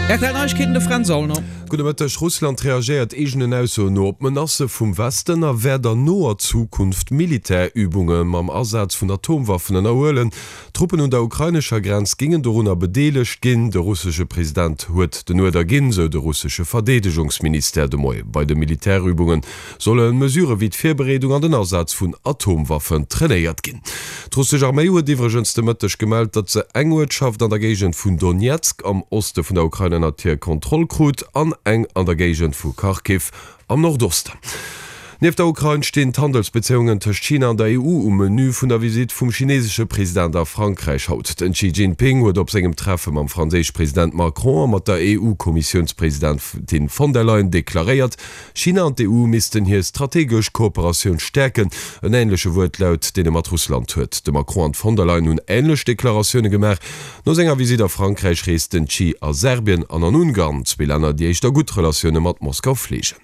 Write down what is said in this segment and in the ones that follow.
Rtl Neiegkeeten, de Fränz Aulner. Gudde Mëtteg. Russland reagéiert eegenen Aussoen no op d'Menacë vum Westen a wäert an noer Zukunft Militärübunge mam Asaz vun Atomwaffen ënnerhuelen. Truppen un der ukrainescher Grenz géingen dorunner bedeelegt ginn. De russesche President huet den Uerder ginn, sou de russesche Verdeedegungsministère de Moie. Bei de Militärübunge solle Mesurë wéi d'Virbereedung an den Asaz vun Atomwaffen trainéiert ginn. D'russesch Arméi huet iwwregens de Mëtteg gemellt, datt se eng Uertschaft an der Géigend vun Donezk am Oste vun der Ukrain ënnert hir Kontroll krut an eng an der Géigend vu Kharkiv am Nordosten. Nieft der Ukrain stinn d'Handelsbezéiungen tëscht China an der EU um Menü vun der Visitt vum chinesesche President a Frankräich haut. Den Xi Jinping huet op sengem Treffe mam franséische President Macron a mat der EU-Kommissiounspresidentin von der Leyen deklaréiert, China an d'EU missten hir strategesch Kooperatioun stäerken. En änleche Wuertlaut, deen e mat Russland huet. De Macron an d'Von der Leyen hunn änlech Deklaratioune gemaach. No senger Visitt a Frankräich reest den Xi a Serbien an an Ungarn, zwee Länner, déi éischter gutt Relatioune mat Moskau fleegen.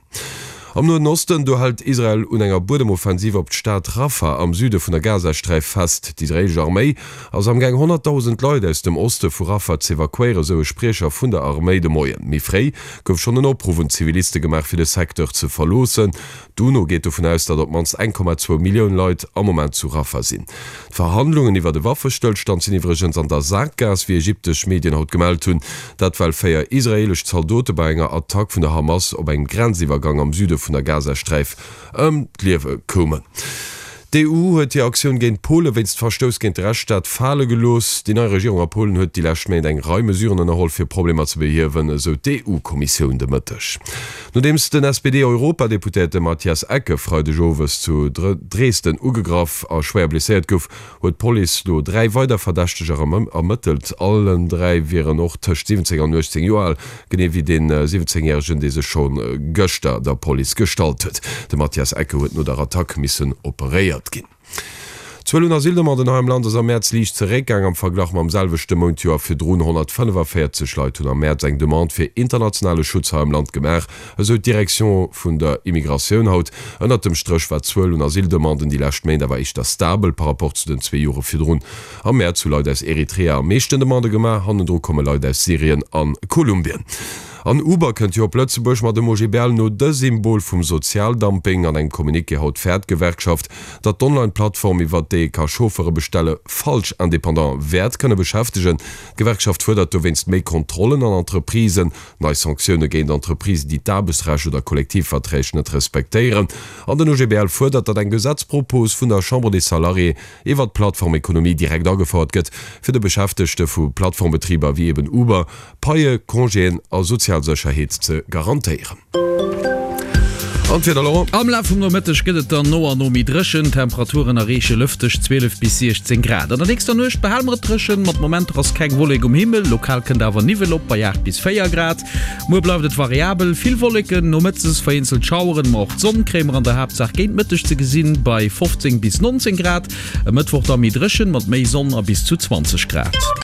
Am Noen Osten, do hält Israel un enger Buedemoffensiv op d'Stad Rafah am Süde vun der Gazasträif fest. D'israeelesch Arméi ass am Gaang 100.000 Leit aus dem Oste vu Rafah z'evakuéieren, sou e Spriecher vun der Arméi de Moien. Méi fréi gouf schonn en Opruff un d'Ziviliste gemaach fir de Secteur ze verloossen. D'UNO geet dovun aus, datt op d'mannst 1,2 Millioun Leit am Moment zu Rafah sinn. D'Verhandlungen iwwert e Waffestëllstand sinn iwwregens an der Sakgaass, wéi ägyptesch Medien haut gemellt hunn. Dat well 4 israeelesch Zaldote bei enger Attack vun der Hamas op engem Grenziwwergang am Süde vun der Gazasträif ëm d'Liewe koumen. D'EU huet hir Aktioun géint Pole wéinst Verstouss géint de Rechtsstaat fale gelooss. Déi nei Regierung a Polen huet déi lescht Méint eng Rei Mesuren ënnerholl, fir Problemer ze behiewen, esou d'EU-Kommissioun de Mëtteg. Nodeems den SPD-Europadeputéierte Matthias Ecke Freideg owes zu Dresden ugegraff a schwéier blesséiert gouf, huet d'Police lo 3 weider Verdächteger ermëttelt. Allen 3 wieren och tëscht 17 an 18 Joer al, genee wéi dee 17 järegen, dee sech scho gëschter der Police gestallt huet. De Mathias Ecke huet no der Attack missen operéiert ginn. D'Zuel un Asyldemanden hei am Land ass am Mäerz liicht zeréckgaang am Verglach mam selwechte Mount d'Joer virdrun. 145 Leit hunn am Mäerz eng Demande fir internationale Schutz hei am Land gemaach, esou d'Direction vun der Immigratioun haut. Ënnert dem Stréch war d'Zuel un Asyldemanden déi lescht Méint awer éischter stabel par rapport zu den zwee Jore virdrun. Am Mäerz hu Leit aus Eritrea am meeschten Demandë gemaach, hannendru komme Leit aus Syrien a Kolumbien. An Uber kënnt jo op Lëtzebuerg, ma dem OGBL no de Symbol vum Sozialdumping. An engem Communiqué haut fäert d'Gewerkschaft, datt d'Online-Plattform, iwwert déi ee ka Chauffeure bestelle, falsch Indépendante wäert kënne beschäftegen. D'Gewerkschaft fuerdert dowéinst méi Kontrollen an Entreprisen. Nei Sanktioune géint Entreprisen, déi d'Aarbechtsrecht oder Kollektivverträg net respektéieren. An den OGBL fuerdert, datt eng Gesetzpropos vun der Chambre des Salariés iwwert d'Plattformekonomie direkt agefouert gëtt, fir de Beschäftegte vu Plattformbetriber wéi eben Uber Paie, Congéen a sozial Sécherheet ze garantéieren. An d'Wieder, Laurent? Am Laf vum Nomëtteg gëtt et dann no an no méi dréchen. D'Temperaturen erreeche lëfteg 12 bis 16 Grad. An der nächster Nuecht behale mer et dréchen, mat Momenter ass keng Wollek um Himmel, lokal kënnt awer Niwwel op bei 8 bis 4 Grad. Muer bleift et variabel, vill Wolleken, nomëttes vereenzelt Schaueren, ma och d'Sonn kréie mer an der Haaptsaach géint Mëtteg ze gesinn bei 15 bis 19 Grad. E Mëttwoch da méi dréchen, mat méi Sonn a bis zu 20 Grad.